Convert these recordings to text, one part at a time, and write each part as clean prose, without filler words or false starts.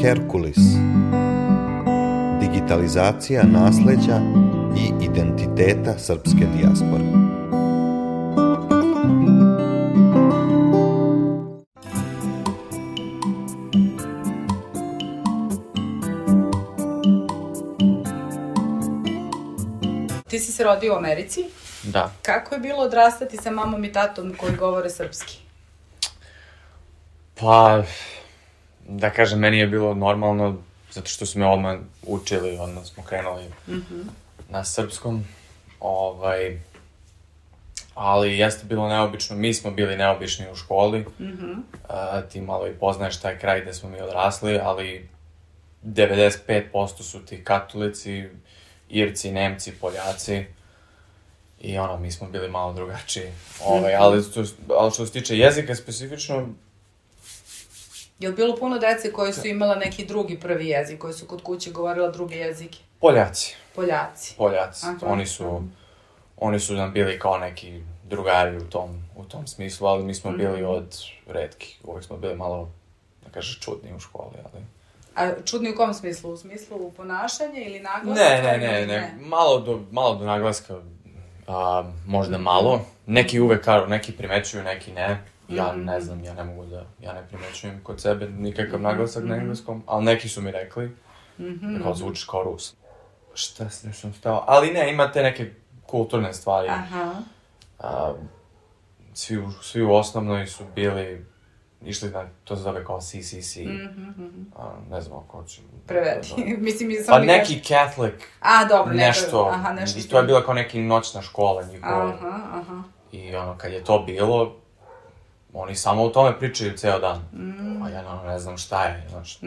Herkulis. Digitalizacija nasleđa i identiteta srpske dijaspore. Ti si se rodio u Americi. Da. Kako je bilo odrastati sa mamom i tatom koji govore srpski? Pa, da kažem, meni je bilo normalno, zato što su me odmah učili, odmah smo krenuli na srpskom, ali jeste bilo neobično, mi smo bili neobični u školi, ti malo i poznaješ taj kraj gde smo mi odrasli, ali 95% su ti katolici, Irci, Nemci, Poljaci i mi smo bili malo drugačiji, ali što se tiče jezika specifično. Je li bilo puno dece koje su imala neki drugi prvi jezik, koji su kod kuće govorila druge jezike? Poljaci. Aha. Oni su nam bili kao neki drugari u tom smislu, ali mi smo bili od retkih. Uvijek smo bili malo, da kaže, čudni u školi, ali... A čudni u kom smislu? U smislu ponašanja ili naglaska? Ne. Malo do naglaska, možda malo. Neki uvek kažu, neki primećuju, neki ne. Ja ne znam, ja ne primećujem kod sebe nikakav naglasak na engleskom, ali neki su mi rekli da kao zvučiš kao Rus. Šta sam stao? Ali ne, ima te neke kulturne stvari. Svi u osnovnoj su bili, išli na, to se zove kao CCC. Ne znam ako ću... Prevedi. Pa neki Catholic, dobro, nešto. Nešto. To je bila kao neki noćna škola njihova. I kad je to bilo, oni samo o tome pričaju ceo dan. A ja ne znam šta je, znaš.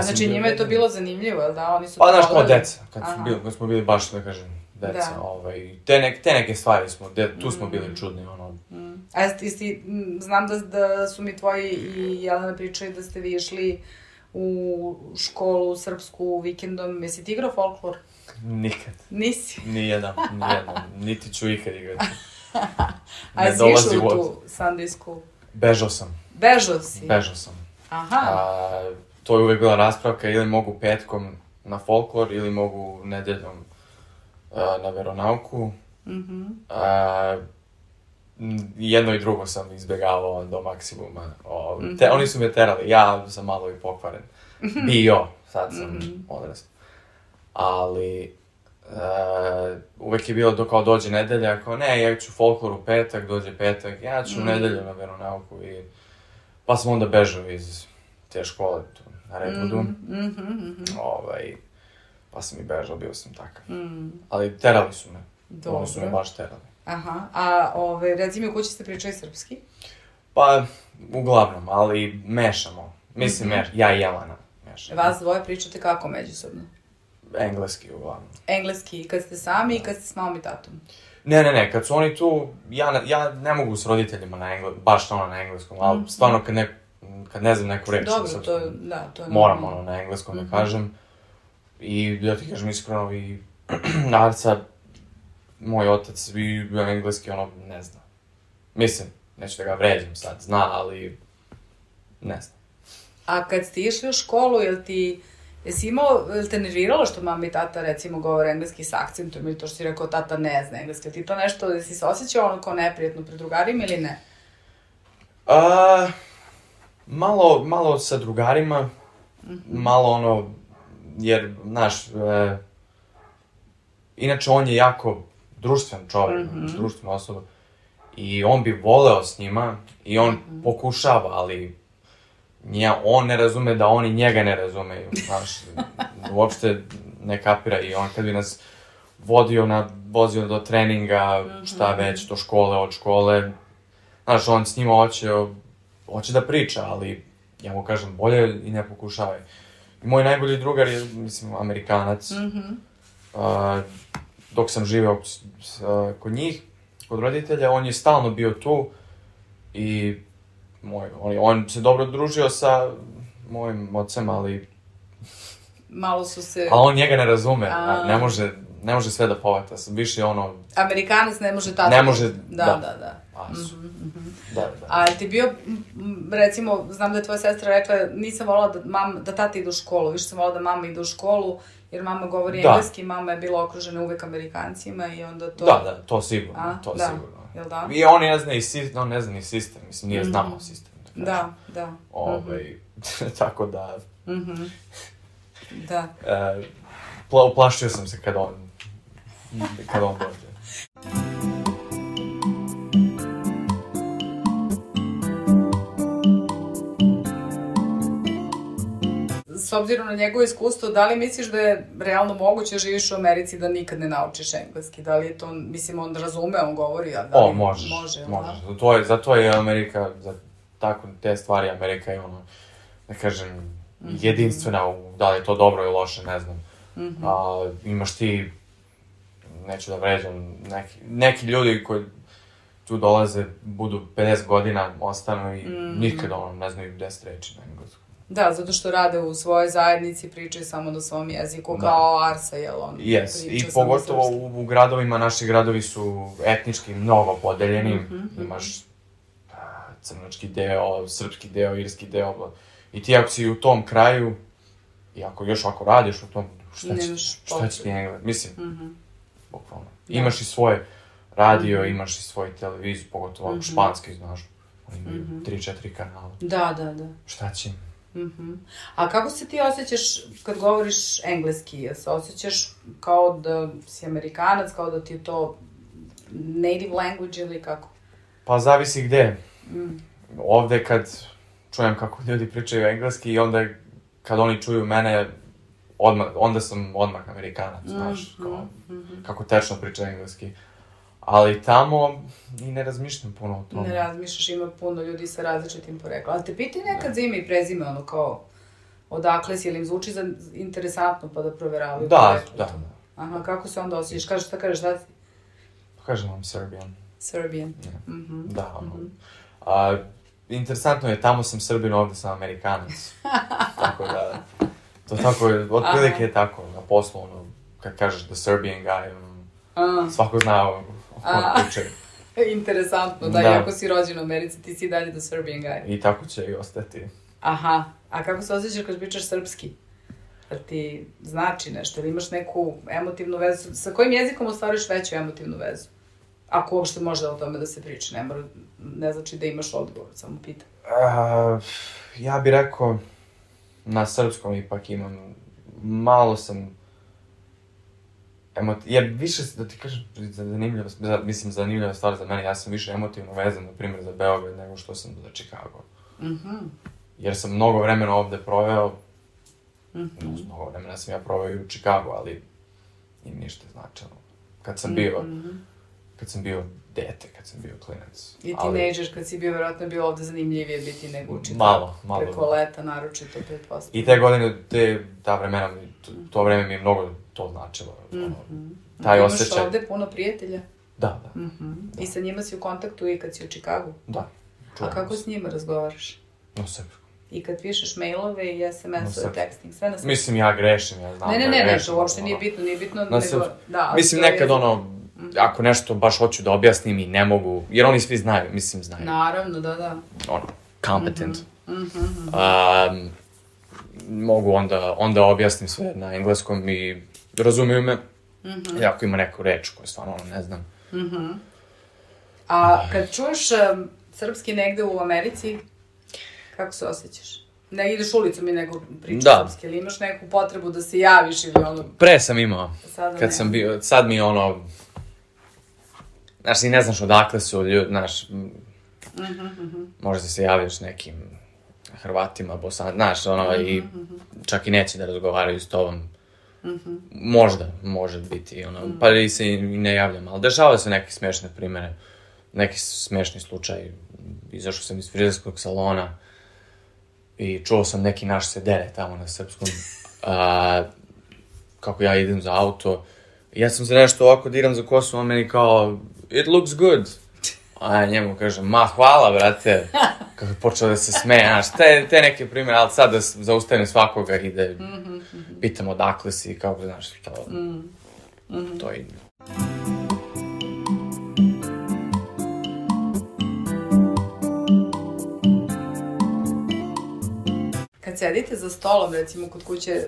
Znači njima je to bilo zanimljivo, jel da? Oni su pa znaš, kao deca, kad smo bili baš, da kažem, deca. Te neke stvari tu smo bili čudni, A znam da su mi tvoji i Jelena pričali da ste vi išli u školu srpsku vikendom. Jesi ti igrao folklor? Nikad. Nisi? Nijedan. Niti ću ikad igrati. A jesi išao u tu Sunday school? Bežao sam. Bežao si? Bežao sam. Aha. To je uvek bila raspravka, ili mogu petkom na folklor, ili mogu nedeljom na veronauku. Jedno i drugo sam izbjegavao do maksimuma. Oni su me terali, ja sam malo i pokvaren. Bio, sad sam odrastao. Ali uvek je bilo dok kao dođe nedelja, kao ne, ja ću folklor u petak, dođe petak, ja ću u nedelju na veronauku. Pa sam onda bežao iz te škole tu na Redwoodu. Pa sam i bežao, bio sam takav. Ali terali su me. Dobro. Oni su me baš terali. Aha, a reci mi u kući ste pričali srpski? Pa, uglavnom, ali mešamo. Mislim, ja i Jelena mešamo. Vas dvoje pričate kako međusobno? Engleski, uglavnom. Engleski, kad ste sami i kad ste s mamom i tatom? Ne, kad su oni tu, ja ne mogu s roditeljima baš na engleskom, ali stvarno kad ne znam neku reč na srpskom, to je moram na engleskom da kažem. I ja ti kažem iskreno, i Arca, moj otac i engleski, ne zna. Mislim, neću da ga vređam sad, zna, ali ne zna. A kad ste išli u školu, jel te nerviralo što mama i tata, recimo, govore engleski s akcentom, ili to što si rekao, tata ne zna engleski, ti to nešto, da si se osjećao kao neprijatno pred drugarima ili ne? Malo sa drugarima, malo jer, znaš, inače on je jako društven čovjek, društvena osoba, i on bi voleo s njima, i on pokušava, ali on ne razume da oni njega ne razumeju, znaš, uopšte ne kapira, i on kad bi nas vozio do treninga, šta već, do škole, od škole, znaš, on s njima hoće da priča, ali ja mu kažem, bolje i ne pokušavaj. I moj najbolji drugar je, mislim, Amerikanac, dok sam živeo kod njih, kod roditelja, on je stalno bio tu i on se dobro družio sa mojim ocem, ali... Malo su se... Ali on njega ne razume, ne može ne može sve da povata, više ono... Amerikanac ne može tata. Ne može, Da. Da. A ti bio, recimo, znam da je tvoja sestra rekla, nisam volila da tata ide u školu, više sam volila da mama ide u školu, jer mama govori engleski, mama je bila okružena uvek Amerikancima i onda to... Da, to sigurno, sigurno. Jel da? I on ne zna ni sistem, mislim, nije znamo sistem. Da. Tako da... Da. Uplašio sam se kad on dođe. S obzirom na njegovo iskustvo, da li misliš da je realno moguće da živiš u Americi da nikad ne naučiš engleski? Da li je to, mislim, on razume, on govori, a da li može? Zato je Amerika, za tako te stvari Amerika je ono, da kažem, jedinstvena, da li je to dobro ili loše, ne znam. Imaš ti, neću da vređam, neki ljudi koji tu dolaze, budu 50 godina, ostanu i nikad ne znaju 10 reči na engleskom. Da, zato što rade u svojoj zajednici, pričaju samo na svom jeziku, kao Arsa, jel on? I pogotovo u gradovima, naši gradovi su etnički mnogo podeljeni, imaš crnočki deo, srpski deo, irski deo, i ti ako si u tom kraju, i ako radiš u tom, šta će ti engleski, mislim, bukvalno. Imaš i svoje radio, imaš i svoju televiziju, pogotovo ako španski, znaš, oni imaju 3-4 kanala. Da. Šta će? A kako se ti osjećaš kad govoriš engleski? Jel se osjećaš kao da si Amerikanac, kao da ti je to native language ili kako? Pa zavisi gde. Ovde kad čujem kako ljudi pričaju engleski i onda kad oni čuju mene, onda sam odmah Amerikanac, znaš, kako tečno priča engleski. Ali tamo i ne razmišljam puno o tome. Ne razmišljaš, ima puno ljudi sa različitim poreklom. Ali te piti nekad za ime i prezime, ono kao, odakle si, ili im zvuči interesantno pa da proveravaju poreklo? Da. Aha, kako se onda osjećaš? Šta kažeš, da si? Kažem vam Serbian. Serbian. Da, interesantno je, tamo sam Srbin, ovde sam Amerikanac. Tako da, to tako je, otprilike je tako, na poslu, ono, kad kažeš the Serbian guy, svako zna o kom pričaju. Interesantno, da, iako si rođen u Americi, ti si dalje the Serbian guy. I tako će i ostati. Aha, a kako se osjećaš kad pričaš srpski? Da ti znači nešto, ili imaš neku emotivnu vezu? Sa kojim jezikom ostvariš veću emotivnu vezu? Ako uopšte može o tome da se priča, ne znači da imaš odgovor, samo pitam. Ja bih rekao, na srpskom ipak imam, malo sam jer više, da ti kažem, zanimljiva stvar za mene, ja sam više emotivno vezan, na primjer, za Beograd nego što sam za Chicago. Jer sam mnogo vremena ovde proveo, mnogo vremena sam ja proveo i u Chicago, ali im ništa značilo. Kad sam bio dete, kad sam bio klinac. I tinejdžer, kad si bio, verovatno je bio ovde zanimljivije biti nego učiti. Malo. Preko leta, naročito, pretpostavljam. I te godine, ta vremena, to vreme mi je mnogo to značilo. Taj osjećaj. Imaš ovde puno prijatelja? Da. I sa njima si u kontaktu i kad si u Chicagu? Da. A kako s njima razgovaraš? Na srpskom. I kad pišeš mailove i SMS-ove, texting, sve na srpskom? Mislim, ja grešim, ja znam da grešim. Ne, to uopšte nije bitno, nego... Mislim, nekad ako nešto baš hoću da objasnim i ne mogu, jer oni svi znaju, znaju. Naravno, da. Competent. Mogu onda objasnim sve na engleskom i razumiju me. I ako ima neku reč koju stvarno ne znam. A kad čuješ srpski negde u Americi, kako se osjećaš? Ne ideš ulicom i nego pričaš srpski, ili imaš neku potrebu da se javiš ili ono... Pre sam imao, kad sam bio, sad mi je ono... Znaš, i ne znaš odakle su ljudi, znaš... Možda se javiš nekim Hrvatima, Bosan, znaš, ono, i čak i neće da razgovaraju s tobom. Možda, može biti, ono, pa i se i ne javljam, ali dešava se neke smešne primere, neki smešni slučaj. Izašao sam iz frizerskog salona i čuo sam neki naš se dere tamo na srpskom, kako ja idem za auto. Ja sam se nešto ovako diram za kosu, on meni kao, it looks good. A ja njemu kažem, ma hvala, brate. Kako je počeo da se smeje, znaš, te neke primere, ali sad da zaustavim svakoga i da pitam odakle si, kako, znaš, to... To je... Kad sedite za stolom, recimo kod kuće,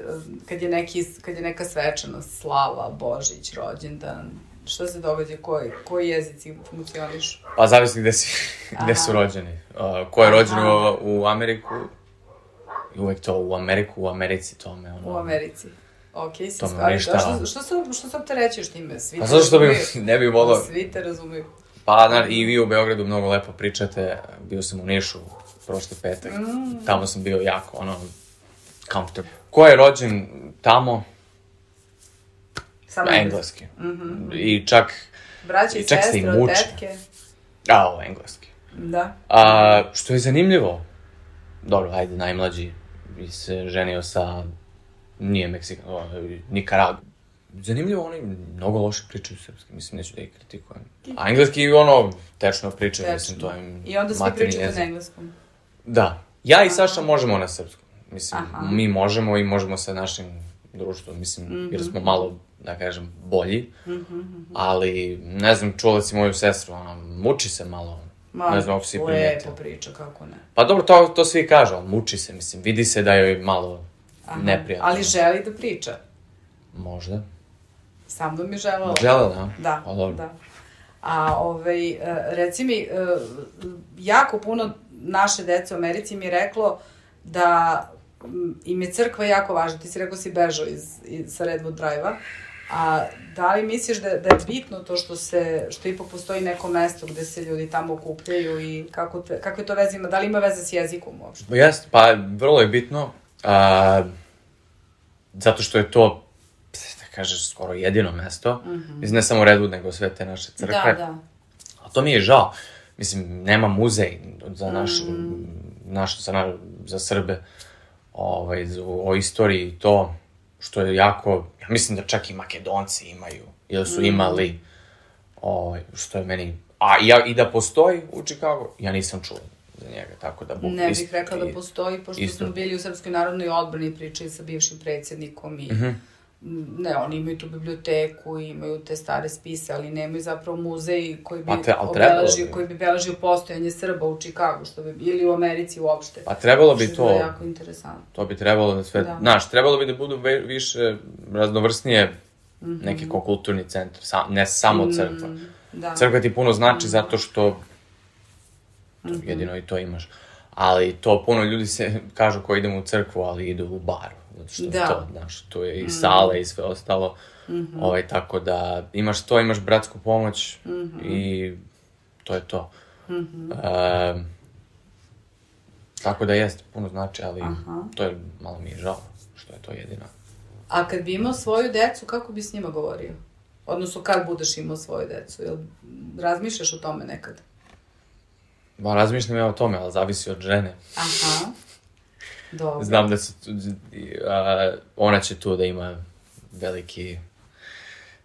kad je neka svečanost, slava, Božić, rođendan, šta se događa, koji jezici funkcionišu? Pa zavisi gde su rođeni. Ko je rođen u Ameriku, uvek to u Americi tome, ono... U Americi. Okej, si stvari. Što sam te reći još time? Svi pa zato što ne bih volao... Svi te razumiju. Pa, i vi u Beogradu mnogo lepo pričate, bio sam u Nišu prošli petak, tamo sam bio jako, comfortable. Ko je rođen tamo? Samo engleski. I čak... Braće i sestre, tetke. Ovo, engleski. Da. Što je zanimljivo, dobro, ajde, najmlađi se ženio sa, nije Meksikan, Nikaragua. Zanimljivo, oni mnogo loše pričaju srpski, mislim, neću da ih kritikujem. A engleski, tečno pričaju, mislim, to je maternji jezik. I onda svi pričate na engleskom? Da. Ja i Saša možemo na srpskom. Mislim, mi možemo i možemo sa našim društvom, mislim, jer smo malo, da kažem, bolji. Ali, ne znam, čula si moju sestru, ona muči se malo. Ne znam, ako si primetila. Lepo priča, kako ne. Pa dobro, to svi kažu, ali muči se, mislim, vidi se da joj malo neprijatno. Ali želi da priča? Možda. Sam da mi želela. Želela, da? Da, pa, dobro. da. A, reci mi, jako puno naše dece u Americi mi je reklo da im je crkva jako važna. Ti si rekao si bežao sa Redwood Drive-a. A da li misliš da je bitno to što ipak postoji neko mesto gde se ljudi tamo okupljaju i kako je to veze ima? Da li ima veze s jezikom uopšte? Jeste, pa vrlo je bitno. Zato što je to, da kažeš, skoro jedino mesto. Mislim, ne samo Redwood, nego sve te naše crkve. Da. A to mi je žao. Mislim, nema muzej za Srbe o istoriji i to, što je jako, ja mislim da čak i Makedonci imaju, ili su imali, što je meni, i da postoji u Chicago, ja nisam čuo za njega, tako da... Ne bih rekla da postoji, pošto smo bili u Srpskoj narodnoj odbrani, pričali sa bivšim predsjednikom i... Ne, oni imaju tu biblioteku, imaju te stare spise, ali nemaju zapravo muzej koji bi beležio postojanje Srba u Chicagu, ili u Americi uopšte. Pa trebalo bi to... Što je jako interesantno. To bi trebalo da sve... Znaš, trebalo bi da budu više raznovrsnije neki kulturni centar, ne samo crkva. Crkva ti puno znači zato što jedino i to imaš. Ali to puno ljudi se kažu ko idemo u crkvu, ali idu u bar. Zato što to, znaš, to je i sale i sve ostalo. Tako da imaš to, imaš bratsku pomoć i to je to. Tako da jeste, puno znači, ali to je, malo mi je žao što je to jedino. A kad bi imao svoju decu, kako bi s njima govorio? Odnosno, kad budeš imao svoju decu? Jel razmišljaš o tome nekad? Ba, razmišljam ja o tome, ali zavisi od žene. Dobro. Znam da se ona će tu da ima veliki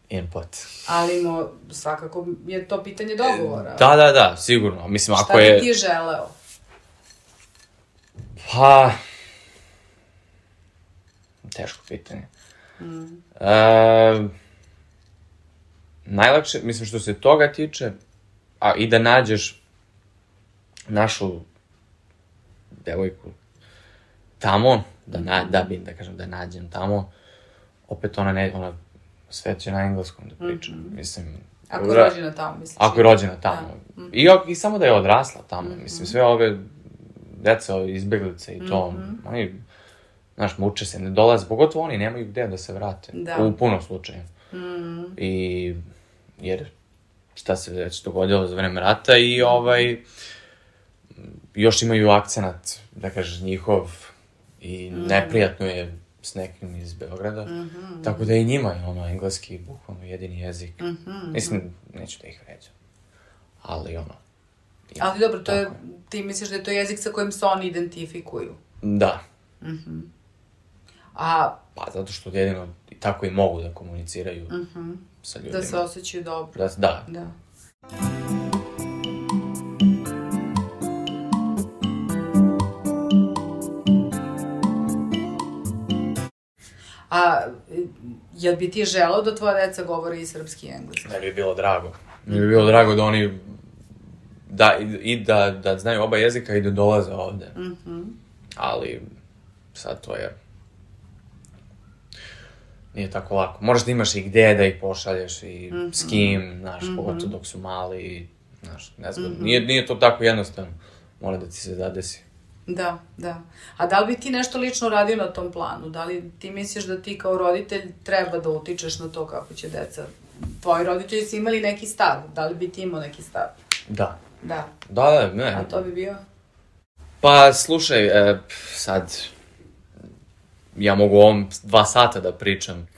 input. Ali svakako je to pitanje dogovora. Da, sigurno. Mislim, ako je... Šta bi ti želeo? Pa... Teško pitanje. Najlakše, mislim, što se toga tiče, i da nađeš našu devojku tamo, da nađem tamo, opet ona sve će na engleskom da priča, mislim... Ako je rođena tamo, misliš? Ako je rođena tamo. I samo da je odrasla tamo, mislim, sve ove deca, izbeglice i to, oni, znaš, muče se, ne dolaze, pogotovo oni nemaju gde da se vrate, u puno slučaja. Jer šta se već dogodilo za vreme rata i još imaju akcenat, da kažeš, njihov i neprijatno je s nekim iz Beograda, tako da i njima je engleski bukvalno jedini jezik. Mislim, neću da ih vređam, ali Ali dobro, ti misliš da je to jezik sa kojim se oni identifikuju? Da. Pa zato što jedino tako i mogu da komuniciraju sa ljudima. Da se osjećaju dobro. Da. A Jel bi ti želeo da tvoja deca govori i srpski i engleski? Ne bi bilo drago. Mi bi bilo drago da oni da znaju oba jezika i da dolaze ovde. Ali sad to je... Nije tako lako. Možeš da imaš i gde da ih pošalješ i s kim, znaš, pogotovo dok su mali, znaš, nezgodno. Nije to tako jednostavno. Mora da ti se zadesi. Da, da. A da li bi ti nešto lično radio na tom planu? Da li ti misliš da ti kao roditelj treba da utičeš na to kako će deca... Tvoji roditelji su imali neki stav. Da li bi ti imao neki stav? Da. Da. Da, ne. A to bi bio? Pa, slušaj, sad... Ja mogu ovom 2 sata da pričam.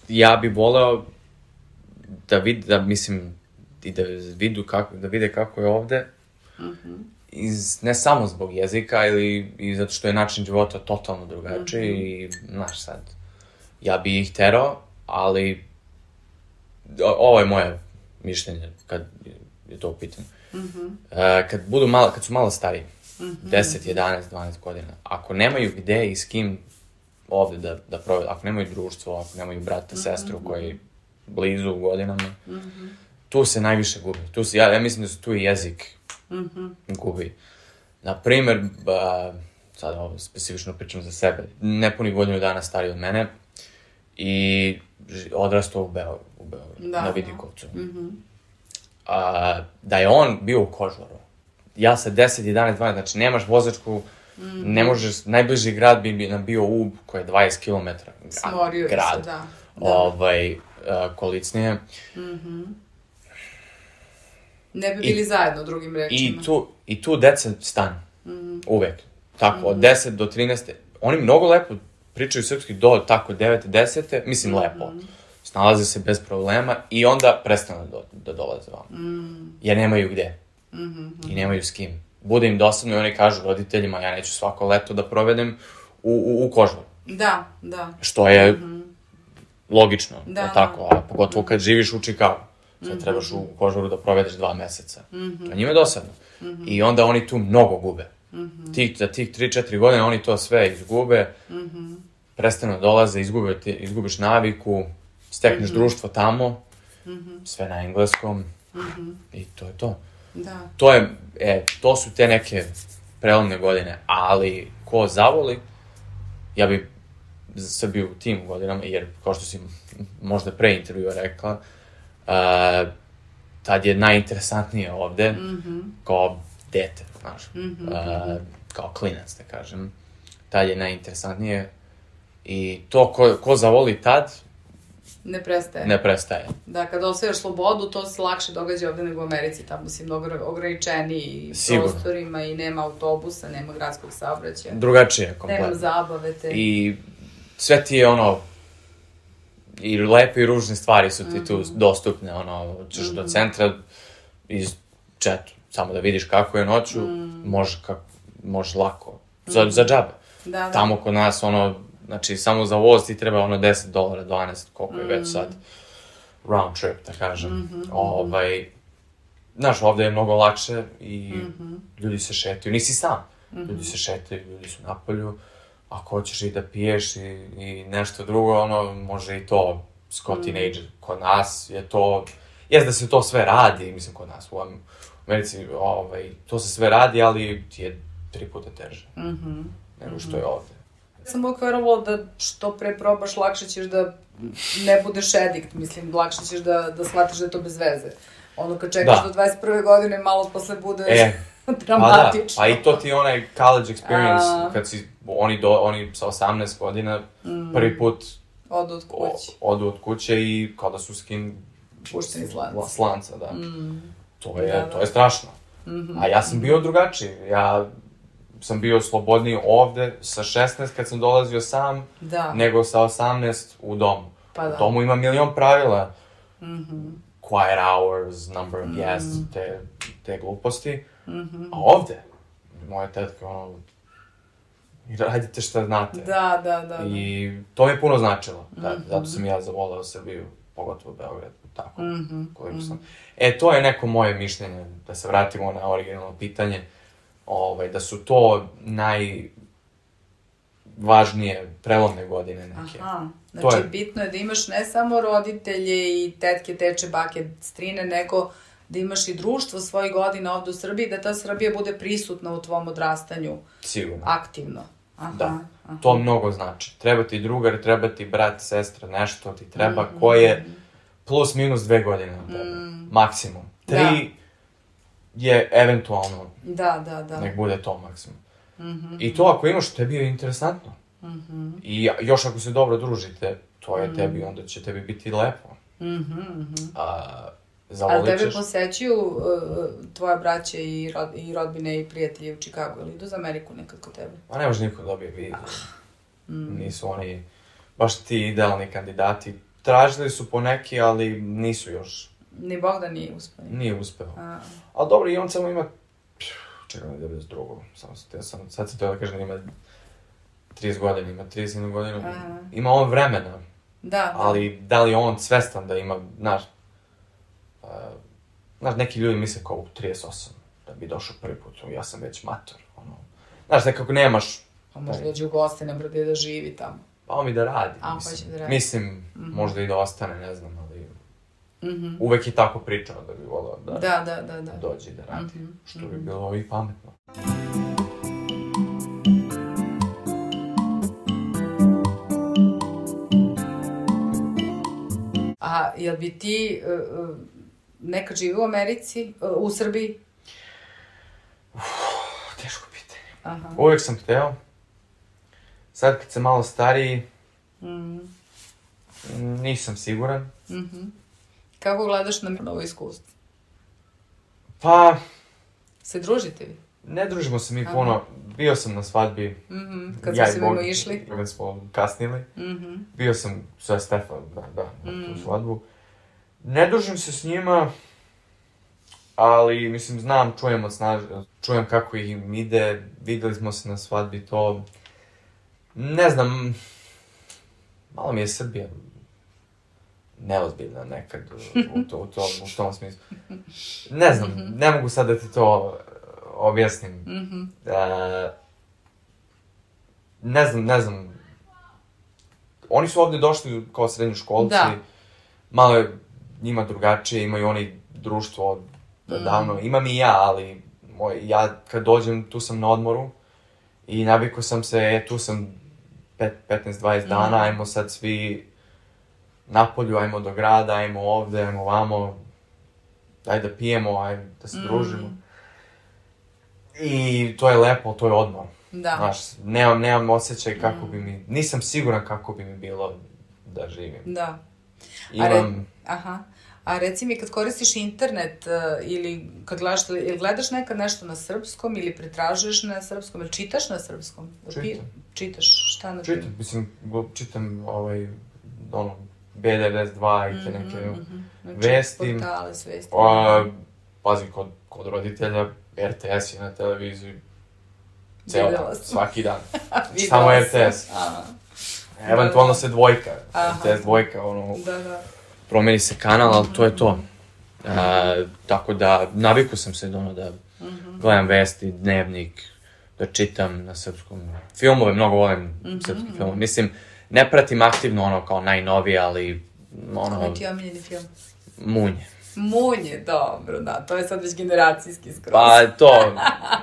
Ja bi voleo da mislim, i da vide kako je ovde. Ne samo zbog jezika, i zato što je način života totalno drugačiji i, znaš sad, ja bi ih terao, ali ovo je moje mišljenje kad je to u pitanju. Kad su malo stariji, 10, 11, 12 godina, ako nemaju gde i s kim ovde da provede, ako nemaju društvo, ako nemaju brata, sestru koji blizu u godinama, tu se najviše gubi. Ja mislim da se tu i jezik gubi. Naprimer, sad ovo specifično pričam za sebe, nepuni godinu dana stariji od mene i odrastao u Beogradu, na Vidikovcu. Da je on bio u Kožaru, ja sa 10, 11, 12, znači nemaš vozačku, ne možeš, najbliži grad bi nam bio Ub, koji je 20 km. Smorio grad. Se, da. Kolicnije. Ne bi bili zajedno, drugim rečima. I tu deca stanu. Uvek. Tako, od 10 do 13. Oni mnogo lepo pričaju srpski do tako 9, 10. Mislim, lepo. Snalaze se bez problema i onda prestanu da dolaze vam. Jer nemaju gde. I nemaju s kim. Bude im dosadno i oni kažu roditeljima, ja neću svako leto da provedem u Kožaru. Da, da. Što je logično, tako, a pogotovo kad živiš u Čikagu. Sad trebaš u Kožaru da provedeš 2 meseca. To njima je dosadno. I onda oni tu mnogo gube. Za tih 3-4 godine oni to sve izgube, prestanu da dolaze, izgubiš naviku, stekneš društvo tamo, sve na engleskom i to je to. Da. To su te neke prelomne godine, ali ko zavoli, ja bi sad bio u tim godinama, jer kao što si možda pre intervjua rekla, tad je najinteresantnije ovde, kao dete, znaš, kao klinac, da kažem, tad je najinteresantnije i to ko zavoli tad, ne prestaje. Da, kada osvajaš slobodu, to se lakše događa ovde nego u Americi, tamo si mnogo ograničeniji prostorima i nema autobusa, nema gradskog saobraćaja. Drugačije, kompletno. Nema zabave te. I sve ti je i lepe i ružne stvari su ti tu dostupne, ćeš do centra iz četu, samo da vidiš kako je noću, možeš lako, za džabe. Tamo kod nas, znači, samo za voz ti treba $10, 12, koliko je već sad round trip, da kažem. Znaš, ovde je mnogo lakše i ljudi se šetaju, nisi sam. Ljudi se šetaju, ljudi su napolju, ako hoćeš i da piješ i nešto drugo, može i to kao teenager. Kod nas je to, da se to sve radi, mislim kod nas, u Americi, to se sve radi, ali ti je 3 puta teže nego što je ovde. Sam uvijek verovala da što pre probaš, lakše ćeš da ne budeš edikt, mislim, lakše ćeš da shvatiš da je to bez veze. Kad čekaš do 21. godine, malo posle budeš dramatično. Pa i to ti je onaj college experience, kad si, oni sa 18 godina prvi put odu od kuće i kao da su skin pušteni slanca, da. To je strašno. A ja sam bio drugačiji, ja sam bio slobodniji ovde sa 16 kad sam dolazio sam, nego sa 18 u domu. U domu ima milion pravila. Quiet hours, number of guests, te gluposti. A ovde, moja tetka, radite šta znate. Da. I to mi je puno značilo. Zato sam ja zavoleo Srbiju, pogotovo Beograd, tako, koliko sam. To je neko moje mišljenje, da se vratimo na originalno pitanje. Da su to važnije, prelomne godine neke. Aha, znači bitno je da imaš ne samo roditelje i tetke, teče, bake, strine, nego da imaš i društvo svojih godina ovde u Srbiji, da ta Srbija bude prisutna u tvom odrastanju. Sigurno. Aktivno. Aha, da, aha. to mnogo znači. Treba ti drugar, treba ti brat, sestra, nešto ti treba, ko je plus minus 2 godine na tebe. Maksimum. 3 je eventualno, da. nek bude to maksimum. I to ako imaš, tebi je interesantno. I još ako se dobro družite, to je tebi, onda će tebi biti lepo. Ali tebe posećuju tvoja braća i rodbine i prijatelji u Čikagu, ili idu za Ameriku nekad kod tebe? Pa ne može niko dobije vizu. Nisu oni baš ti idealni kandidati. Tražili su po neki, ali nisu još. Ni Bogdan nije uspeo. Nije uspeo. Ali dobro, i on samo ima... Čekaj, 92. Sad se to da kažem da ima 30 godina, ima 30 godina. Ima on vremena. Da. Ali da li je on svestan da ima, znaš, neki ljudi misle kao u 38, da bi došao prvi put, ja sam već mator, ono. Znaš, nekako nemaš... Pa možda dođe u goste, ne brode da živi tamo. Pa on mi da radi, hoće da radi. Mislim, možda i da ostane, ne znam, ali... Uvek je tako pričao da bi volao da dođe da radi, što bi bilo i pametno. A jel bi ti nekad živio u Americi, u Srbiji? Teško pitanje. Uvijek sam hteo. Sad kad sam malo stariji, nisam siguran. Kako gledaš na novo iskustvo? Pa... Se družite vi? Ne družimo se mi puno. Bio sam na svadbi. Kad smo se mimo išli? Kad smo kasnili. Bio sam sa Stefan, na tu svadbu. Ne družim se s njima, ali, mislim, znam, čujem kako im ide, videli smo se na svadbi, to... Ne znam, malo mi je Srbija neozbiljna nekad u tom smislu. Ne znam, ne mogu sad da ti to objasnim. Ne znam. Oni su ovde došli kao srednjoškolci, malo je njima drugačije, imaju oni društvo davno. Imam i ja, ali ja kad dođem, tu sam na odmoru i navikao sam se, tu sam 15-20 dana, ajmo sad svi napolju, ajmo do grada, ajmo ovde, ajmo vamo, daj da pijemo, ajmo da se družimo. I to je lepo, to je odmor. Da. Znaš, nemam osjećaj kako bi mi, nisam siguran kako bi mi bilo da živim. Da. Imam... A reci mi, kad koristiš internet ili kad gledaš nekad nešto na srpskom ili pretražuješ na srpskom ili čitaš na srpskom? Čitaš, šta na primjer? Čitam B92 i te neke vesti. Portale s vesti. Pazi, kod roditelja, RTS je na televiziji ceo dan, svaki dan. Samo RTS. Eventualno se dvojka, RTS dvojka, promeni se kanal, ali to je to. Tako da, naviku sam se da gledam vesti, dnevnik, da čitam na srpskom. Filmove, mnogo volim srpski film. Mislim, ne pratim aktivno kao najnovije, ali Koji ti je omiljeni film? Munje. Munje, dobro, da, to je sad već generacijski skroz. Pa to,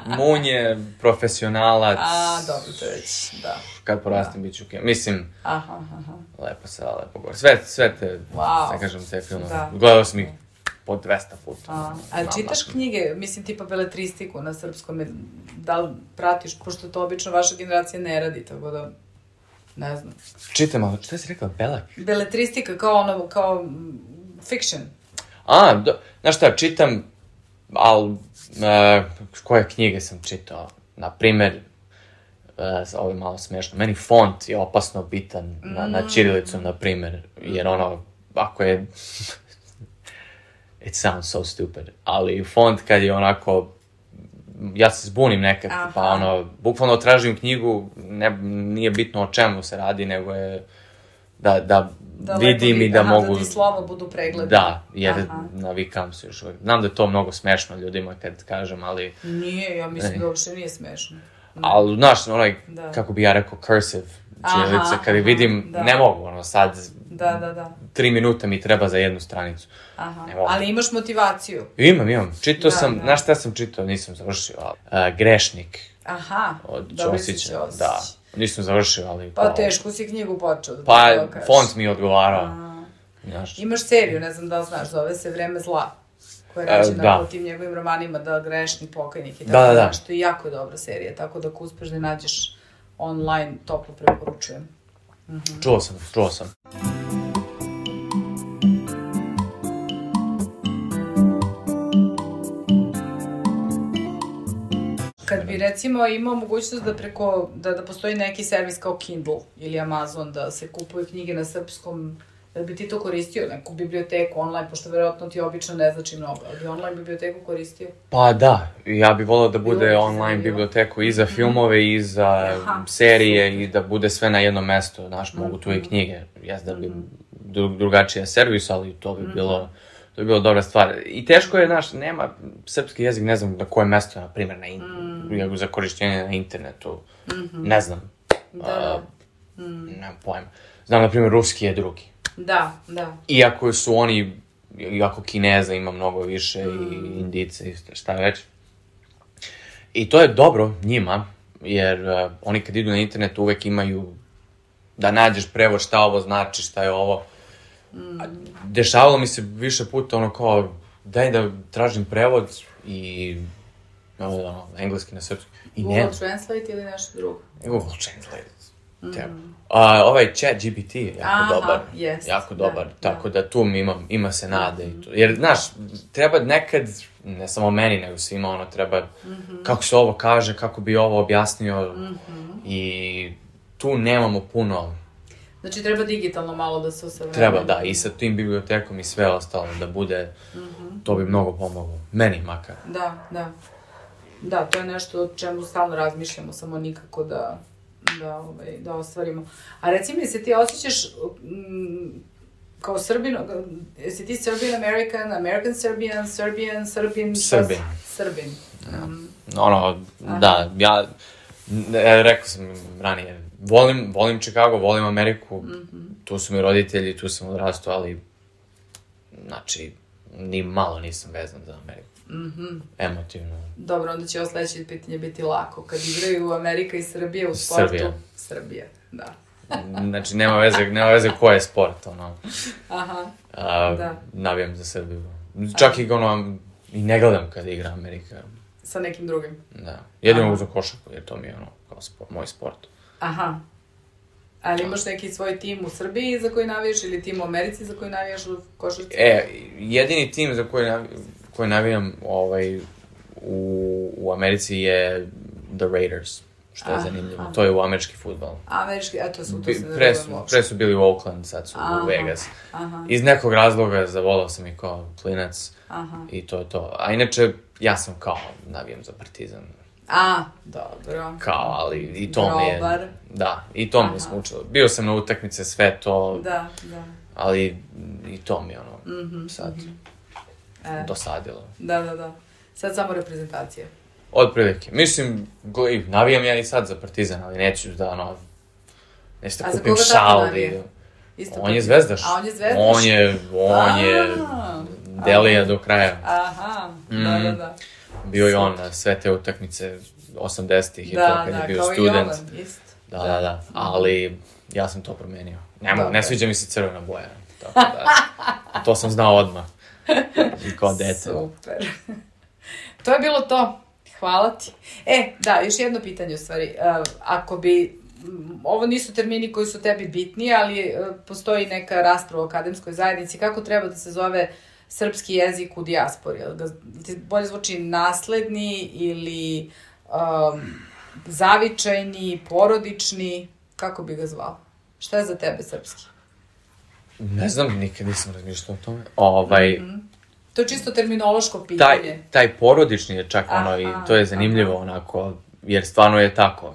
Munje, Profesionalac. Dobro, to je već, da. Kad porastim bit ću mislim, lepo se, lepo gore. Sve te, ne kažem, te filmove. Gledao sam ih po 200 puta. Ali čitaš knjige, mislim, tipa beletristiku na srpskom, da li pratiš, pošto to obično vaša generacija ne radi, tako da, ne znam. Čitam, ali šta si rekla, belak? Beletristika, kao fiction. Znaš šta, čitam, ali koje knjige sam čitao? Naprimer, ovo je malo smešno, meni font je opasno bitan na ćirilicom, naprimer, jer ako je, it sounds so stupid, ali font kad je onako, ja se zbunim nekad, pa bukvalno tražim knjigu, nije bitno o čemu se radi, nego je da vidim i da mogu... Da ti slova budu pregledane. Da, jer navikam se još uvijek. Znam da je to mnogo smešno ljudima kad kažem, ali... Nije, ja mislim da uopšte nije smešno. Ali, znaš, kako bi ja rekao, cursive ćirilice, kad vidim, ne mogu, sad, 3 minuta mi treba za jednu stranicu. Ali imaš motivaciju. Imam. Čitao sam, znaš šta sam čitao, nisam završio, Grešnik. Od Ćosića, da. Nisam završio, ali... Pa teško si knjigu počeo. Pa, font mi je odgovarao. Imaš seriju, ne znam da li znaš, zove se Vreme zla. Koja je rađena po tim njegovim romanima, da Grešni pokajnik i tako da. Što je jako dobra serija, tako da ako uspeš da nađeš online, toplo preporučujem. Čuo sam. Kad bi recimo imao mogućnost da preko, da postoji neki servis kao Kindle ili Amazon, da se kupuju knjige na srpskom, da bi ti to koristio, neku biblioteku online, pošto verovatno ti obično ne znači mnogo, ali bi online biblioteku koristio? Pa da, ja bih volao da bude online biblioteku i za filmove i za serije i da bude sve na jednom mestu, znaš, mogu tu i knjige, da bi drugačija servis, ali to bi bilo dobra stvar. I teško je, znaš, nema srpski jezik, ne znam na koje mesto, na primjer, za korišćenje na internetu, ne znam, nemam pojma. Znam, na primjer, ruski je drugi. Da. Iako su oni, iako Kineza ima mnogo više i Indice i šta već. I to je dobro njima, jer oni kad idu na internet uvek imaju da nađeš prevod šta ovo znači, šta je ovo. Dešavalo mi se više puta kao, daj da tražim prevod i engleski na srpski. Google Translate ili nešto drugo? Google Translate. Ovaj ChatGPT je jako dobar, tako da tu ima se nade. Jer, znaš, treba nekad, ne samo meni, nego svima, treba kako se ovo kaže, kako bi ovo objasnio i tu nemamo puno. Znači, treba digitalno malo da se usavremeni. Treba, da, i sa tim bibliotekom i sve ostalo da bude, to bi mnogo pomoglo. Meni makar. Da, to je nešto o čemu stalno razmišljamo, samo nikako da ostvarimo. A reci mi, se ti osjećaš kao Srbin, jesi ti Serbian American, American Serbian, Srbin? Da, ja rekao sam ranije, volim Chicago, volim Ameriku, tu su mi roditelji, tu sam odrastao, ali, znači, ni malo nisam vezan za Ameriku. Emotivno. Dobro, onda će ovo sledeće pitanje biti lako. Kad igraju Amerika i Srbija u sportu... Srbija, da. Znači, nema veze ko je sport, navijam za Srbiju. Čak i ne gledam kad igra Amerika. Sa nekim drugim? Da. Jedino za košarku, jer to mi je kao moj sport. Ali imaš neki svoj tim u Srbiji za koji navijaš ili tim u Americi za koji navijaš u košarci? Jedini tim za koji navijam u Americi je The Raiders, što je zanimljivo. To je u američki fudbal. Američki, eto su to se ne razumemo. Pre su bili u Oakland, sad su u Vegas. Iz nekog razloga zavolao sam i kao klinac i to je to. A inače, ja sam kao navijam za Partizan. Dobro. Kao, ali i to mi je... Da, i to mi je smučilo. Bio sam na utakmice, sve to... Da. Ali i to mi je sad dosadilo. Da. Sad samo reprezentacija. Otprilike. Mislim, navijam ja i sad za Partizan, ali neću da, neću da kupim šal. On je zvezdaš. A on je zvezdaš? On je Delija do kraja. Da. Bio je on na sve te utakmice 80-ih i to kad je bio student. Da. Ali ja sam to promenio. Ne sviđa mi se crvena boja. To sam znao odmah. I kao dete. Super. To je bilo to. Hvala ti. Da, još jedno pitanje u stvari. Ako bi, ovo nisu termini koji su tebi bitni, ali postoji neka rasprava u akademskoj zajednici, kako treba da se zove srpski jezik u dijaspori? Ti bolje zvuči nasledni ili zavičajni, porodični? Kako bi ga zvao? Šta je za tebe srpski? Ne znam, nikad nisam razmišljao o tome. To je čisto terminološko pitanje. Taj porodični je čak i to je zanimljivo onako, jer stvarno je tako.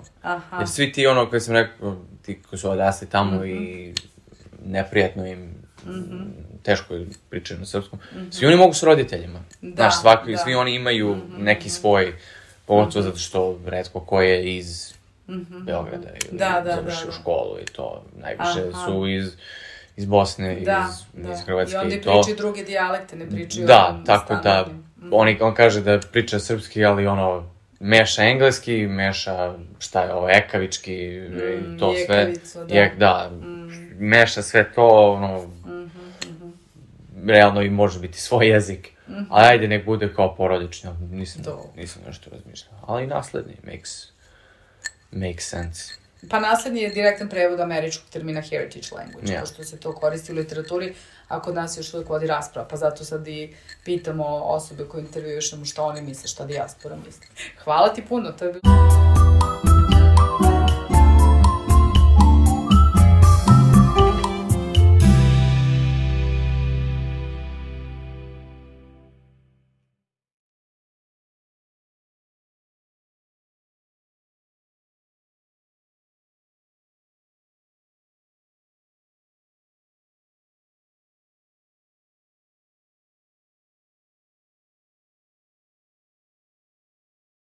Jer svi ti koji sam rekao, ti koji su odrasli tamo i neprijatno im, teško je pričati na srpskom, svi oni mogu s roditeljima. Znaš, svi oni imaju neki svoj Pogotovo zato što retko ko je iz Beograda ili završio školu i to. Najviše su iz Bosne, iz Hrvatske i to. I onda pričaju druge dijalekte, ne pričaju tako da, on kaže da priča srpski, ali meša engleski, meša, šta je ovo, ekavički, to sve. Meša sve to, realno i može biti svoj jezik. Ali ajde, nek bude kao porodično, nisam nešto razmišljao. Ali naslednji, makes sense. Pa naslednji je direktan prevod američkog termina heritage language, pošto se to koristi u literaturi, a kod nas još uvijek vodi rasprava, pa zato sad i pitamo osobe koje intervjušemo šta oni misle, šta dijaspora misle. Hvala ti puno, to je bilo...